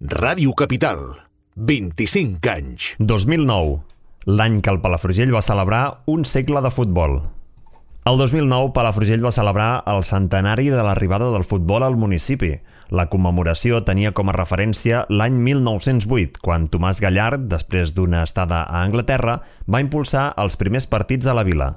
Ràdio Capital, 25 anys. 2009, l'any que el Palafrugell va celebrar un segle de futbol. El 2009, Palafrugell va celebrar el centenari de l'arribada del futbol al municipi. La commemoració tenia com a referència l'any 1908, quan Tomàs Gallard, després d'una estada a Anglaterra, va impulsar els primers partits a la vila.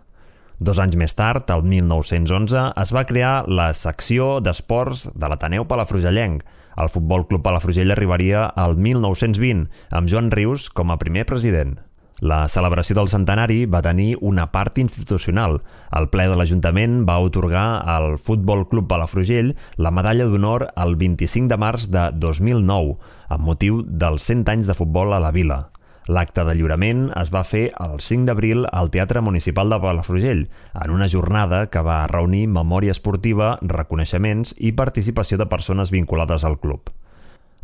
2 anys més tard, el 1911, es va crear la secció d'esports de l'Ateneu Palafrugellenc. El Futbol Club Palafrugell arribaria al 1920, amb Joan Rius com a primer president. La celebració del centenari va tenir una part institucional. El ple de l'Ajuntament va atorgar al Futbol Club Palafrugell la medalla d'honor el 25 de març de 2009, amb motiu dels 100 anys de futbol a la vila. L'acte de lliurament es va fer el 5 d'abril al Teatre Municipal de Palafrugell, en una jornada que va reunir memòria esportiva, reconeixements i participació de persones vinculades al club.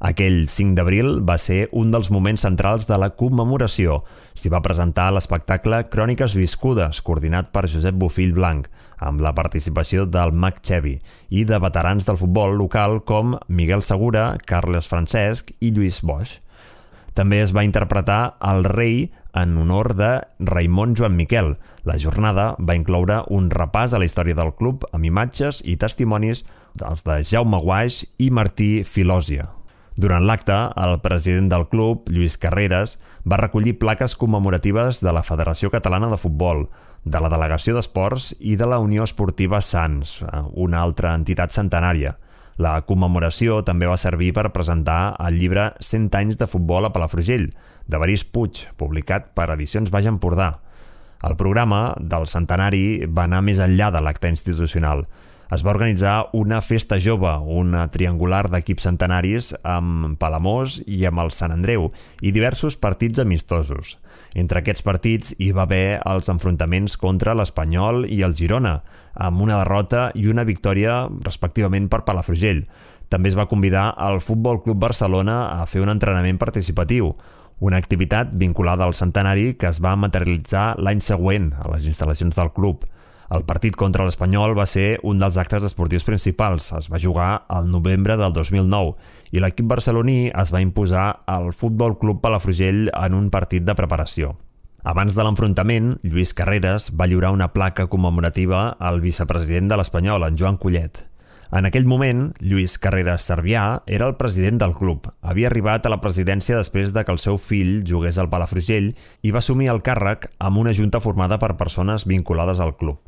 Aquell 5 d'abril va ser un dels moments centrals de la commemoració. S'hi va presentar l'espectacle Cròniques viscudes, coordinat per Josep Bofill Blanc, amb la participació del Mag Xevi i de veterans del futbol local com Miguel Segura, Carles Francesc i Lluís Boix. També es va interpretar El rei en honor de Raimon Joan Miquel. La jornada va incloure un repàs a la història del club amb imatges i testimonis dels de Jaume Guaix i Martí Filòsia. Durant l'acte, el president del club, Lluís Carreras, va recollir plaques commemoratives de la Federació Catalana de Futbol, de la Delegació d'Esports i de la Unió Esportiva Sants, una altra entitat centenària. La commemoració també va servir per presentar el llibre 100 anys de futbol a Palafrugell, d'Evarist Puig, publicat per Edicions Baix Empordà. El programa del centenari va anar més enllà de l'acte institucional. Es va organitzar una festa jove, una triangular d'equips centenaris amb Palamós i amb el Sant Andreu i diversos partits amistosos. Entre aquests partits hi va haver els enfrontaments contra l'Espanyol i el Girona, amb una derrota i una victòria respectivament per Palafrugell. També es va convidar al Futbol Club Barcelona a fer un entrenament participatiu, una activitat vinculada al centenari que es va materialitzar l'any següent a les instal·lacions del club. El partit contra l'Espanyol va ser un dels actes esportius principals. Es va jugar al novembre del 2009 i l'equip barceloní es va imposar al Futbol Club Palafrugell en un partit de preparació. Abans de l'enfrontament, Lluís Carreras va lliurar una placa commemorativa al vicepresident de l'Espanyol, en Joan Collet. En aquell moment, Lluís Carreras Servià era el president del club. Havia arribat a la presidència després de que el seu fill jugués al Palafrugell i va assumir el càrrec amb una junta formada per persones vinculades al club.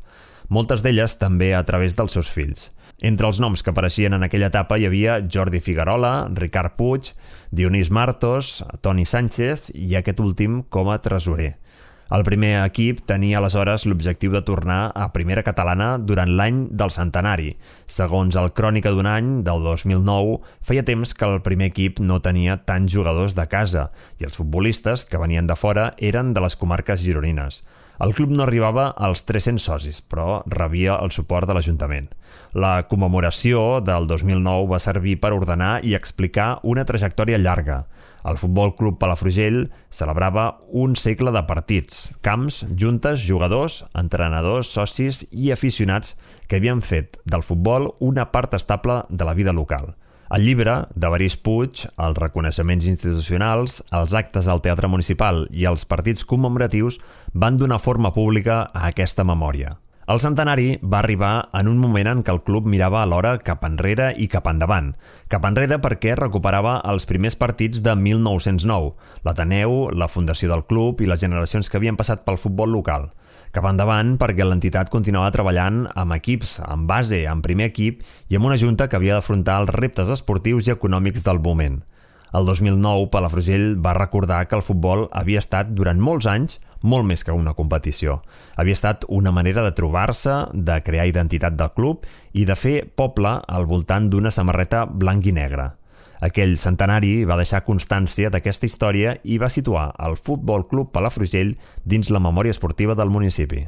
Moltes d'elles també a través dels seus fills. Entre els noms que apareixien en aquella etapa hi havia Jordi Figuerola, Ricard Puig, Dionís Martos, Toni Sánchez i aquest últim com a tresorer. El primer equip tenia aleshores l'objectiu de tornar a primera catalana durant l'any del centenari. Segons el Crònica d'un any, del 2009, feia temps que el primer equip no tenia tants jugadors de casa i els futbolistes que venien de fora eren de les comarques gironines. El club no arribava als 300 socis, però rebia el suport de l'Ajuntament. La commemoració del 2009 va servir per ordenar i explicar una trajectòria llarga. El Futbol Club Palafrugell celebrava un segle de partits, camps, juntes, jugadors, entrenadors, socis i aficionats que havien fet del futbol una part estable de la vida local. El llibre d'Evarist Puig, els reconeixements institucionals, els actes al Teatre Municipal i els partits commemoratius van donar forma pública a aquesta memòria. El centenari va arribar en un moment en què el club mirava alhora cap enrere i cap endavant. Cap enrere perquè recuperava els primers partits de 1909, l'Ateneu, la fundació del club i les generacions que havien passat pel futbol local. Cap endavant perquè l'entitat continuava treballant amb equips, amb base, amb primer equip i amb una junta que havia d'afrontar els reptes esportius i econòmics del moment. El 2009, Palafrugell va recordar que el futbol havia estat durant molts anys molt més que una competició. Havia estat una manera de trobar-se, de crear identitat del club i de fer poble al voltant d'una samarreta blanc i negra. Aquell centenari va deixar constància d'aquesta història i va situar el Futbol Club Palafrugell dins la memòria esportiva del municipi.